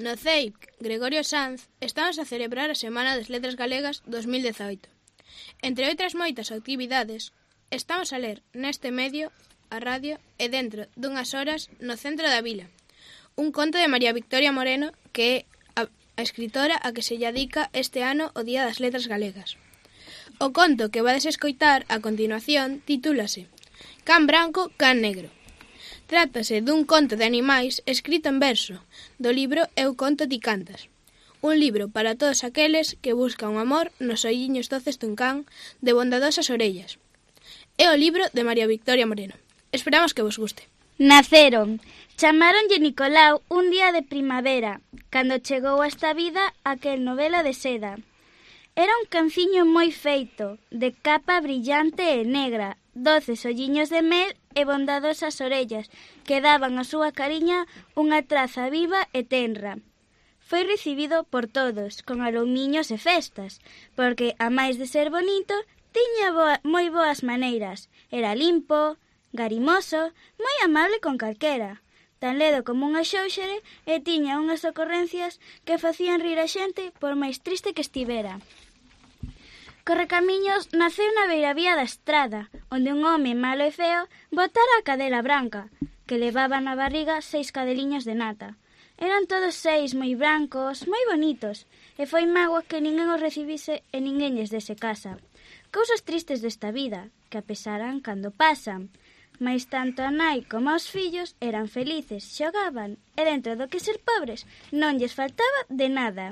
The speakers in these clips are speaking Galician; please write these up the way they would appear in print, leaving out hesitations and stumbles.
No CEIP Gregorio Sanz estamos a celebrar a Semana das Letras Galegas 2018. Entre outras moitas actividades, estamos a ler neste medio, a radio, e dentro dunhas horas no centro da vila. Un conto de María Victoria Moreno, que é a escritora a que se lle dedica este ano o Día das Letras Galegas. O conto que vades escoitar a continuación titúlase Can branco, can negro. Trátase dun conto de animais escrito en verso, do libro Eu conto ti cantas. Un libro para todos aqueles que buscan o amor nos olliños doces dun can de bondadosas orellas. É o libro de María Victoria Moreno. Esperamos que vos guste. Naceron. Chamáronlle Nicolau un día de primavera, cando chegou a esta vida aquel novelo de seda. Era un canciño moi feito, de capa brillante e negra, doces olliños de mel e bondadosas orellas que daban á súa cariña unha traza viva e tenra. Foi recibido por todos, con alumiños e festas, porque, a máis de ser bonito, tiña moi boas maneiras. Era limpo, garimoso, moi amable con calquera, tan ledo como unha xóuxere e tiña unhas ocorrencias que facían rir a xente por máis triste que estivera. Correcamiños naceu na beiravía da estrada, onde un home malo e feo botara a cadela branca, que levaba na barriga 6 cadeliños de nata. Eran todos 6 moi brancos, moi bonitos, e foi mágoa que ninguén os recibise e ninguén lles dese casa. Cousas tristes desta vida, que a pesaran cando pasan, mais tanto a nai como os fillos eran felices, xogaban, e dentro do que ser pobres non lles faltaba de nada.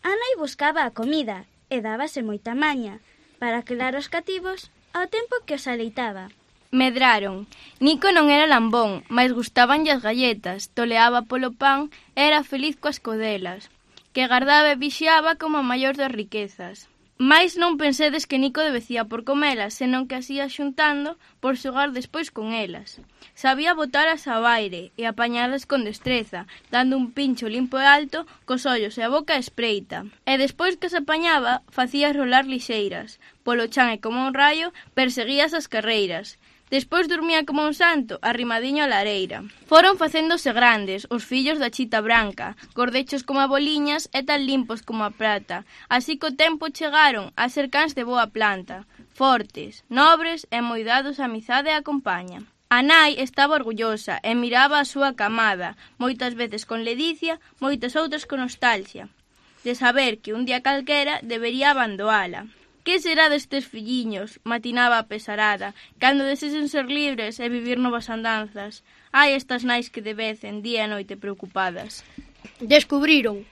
A nai buscaba a comida, e dábase moita maña para quedar os cativos ao tempo que os aleitaba. Medraron. Nico non era lambón, mais gustabanlle as galletas, toleaba polo pan e era feliz coas codelas, que gardaba e vixiaba como a maior das riquezas. Mais non pensedes que Nico debecía por comelas, senón que as ia xuntando por xogar despois con elas. Sabía botalas ao aire e apañalas con destreza, dando un pincho limpo e alto cos ollos e a boca espreita. E despois que as apañaba, facía rolar lixeiras. Polo chan e como un raio, perseguías as carreiras. Despois dormía como un santo, arrimadiño á lareira. Foron facéndose grandes, os fillos da chita branca, gordechos como a boliñas e tan limpos como a prata. Así co tempo chegaron a ser cans de boa planta, fortes, nobres e moi dados á amizade e a compaña. A nai estaba orgullosa e miraba a súa camada, moitas veces con ledicia, moitas outras con nostalgia, de saber que un día calquera debería abandoala. Que será destes filliños? Matinaba a pesarada, cando desesen ser libres e vivir novas andanzas. Ai, estas nais que debecen día e noite preocupadas. Descubriron.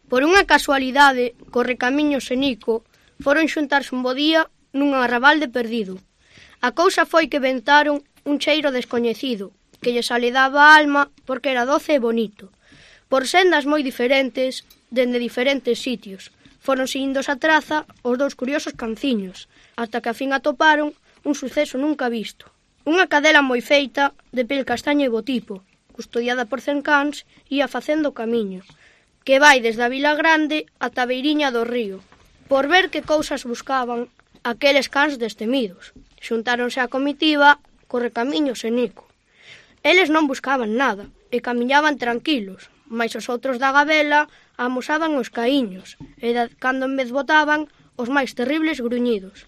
Por unha casualidade, Correcamiños e Nico foron xuntarse un bo día nun arrabalde perdido. A cousa foi que ventaron un cheiro descoñecido, que lles aledaba a alma porque era doce e bonito. Por sendas moi diferentes, dende diferentes sitios, foron seguindo a traza os dous curiosos canciños, ata que a fin atoparon un suceso nunca visto. Unha cadela moi feita, de pel castaño e botipo, custodiada por 100 cans, ia facendo camiño, que vai desde a Vila Grande ata a beiriña do río, por ver que cousas buscaban aqueles cans destemidos. Xuntáronse a comitiva Correcamiños e Nico. Eles non buscaban nada e camiñaban tranquilos, mais os outros da gabela amosaban os caíños e cando en vez botaban os máis terribles gruñidos.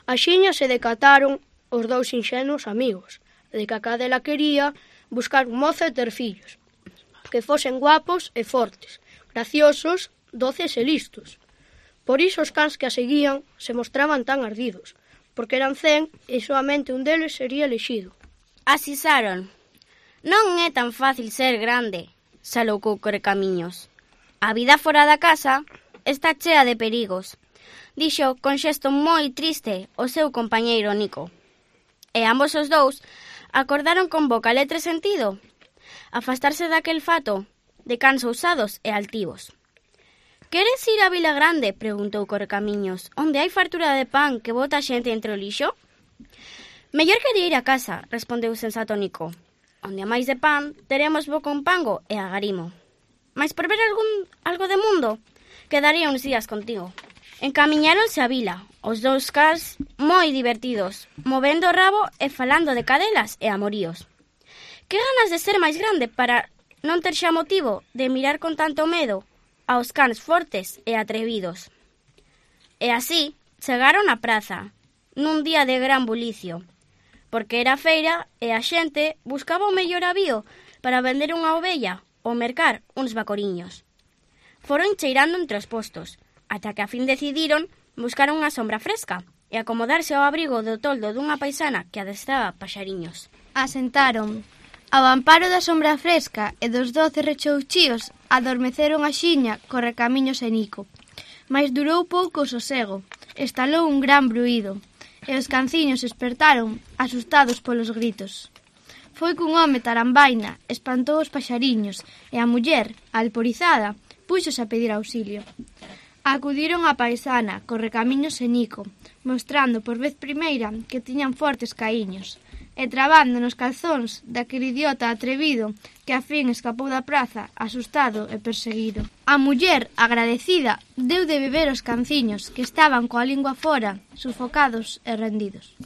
Axiña se decataron os dous inxenuos amigos de que a cadela quería buscar un mozo e ter fillos, que fosen guapos e fortes, graciosos, doces e listos. Por iso os cans que a seguían se mostraban tan ardidos, porque eran 100 e soamente un deles sería elexido. Asisaron. Non é tan fácil ser grande, saloucou Correcamiños. A vida fora da casa está chea de perigos, dixo con xesto moi triste o seu compañeiro Nico. E ambos os dous acordaron con boca, letra e sentido afastarse daquel fato de cans ousados e altivos. Queres ir á Vila Grande? Preguntou Correcamiños, onde hai fartura de pan que bota a xente entre o lixo? Mellor quería ir a casa, respondeu sensato Nico, onde a máis de pan teremos bo con pango e agarimo. Mas por ver algo de mundo, quedaría uns días contigo. Encamiñáronse á vila, os dous cans moi divertidos, movendo o rabo e falando de cadelas e amoríos. Que ganas de ser máis grande para non ter xa motivo de mirar con tanto medo aos cans fortes e atrevidos. E así chegaron á praza, nun día de gran bulicio, porque era feira e a xente buscaba o mellor avío para vender unha ovella ou mercar uns bacoriños. Foron cheirando entre os postos, ata que a fin decidiron buscar unha sombra fresca e acomodarse ao abrigo do toldo dunha paisana que adestraba paxariños. Asentaron. Ao amparo da sombra fresca e dos 12 rechouchíos adormeceron a xiña Correcamiños e Nico. Mais durou pouco o sosego, estalou un gran bruído, e os canciños espertaron, asustados polos gritos. Foi cun home tarambaina, espantou os paxariños, e a muller, alporizada, púxose a pedir auxilio. Acudiron a paisana, Correcamiños e Nico, mostrando por vez primeira que tiñan fortes caíños, e trabando nos calzóns daquele idiota atrevido que a fin escapou da praza, asustado e perseguido. A muller, agradecida, deu de beber os canciños, que estaban coa lingua fora, sufocados e rendidos.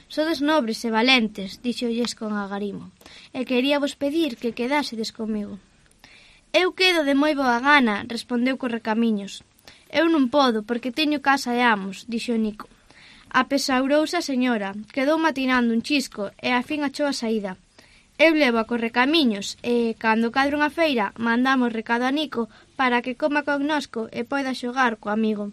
Sodes nobres e valentes, dixolles con agarimo, e queríavos pedir que quedásedes comigo. Eu quedo de moi boa gana, respondeu Correcamiños. Eu non podo, porque teño casa e amos, dixo Nico. Apesaurouse a señora, quedou matinando un chisco e a fin achou a saída. Eu levo a Correcamiños e, cando cadre unha feira, mandamos recado a Nico para que coma connosco e poida xogar co amigo.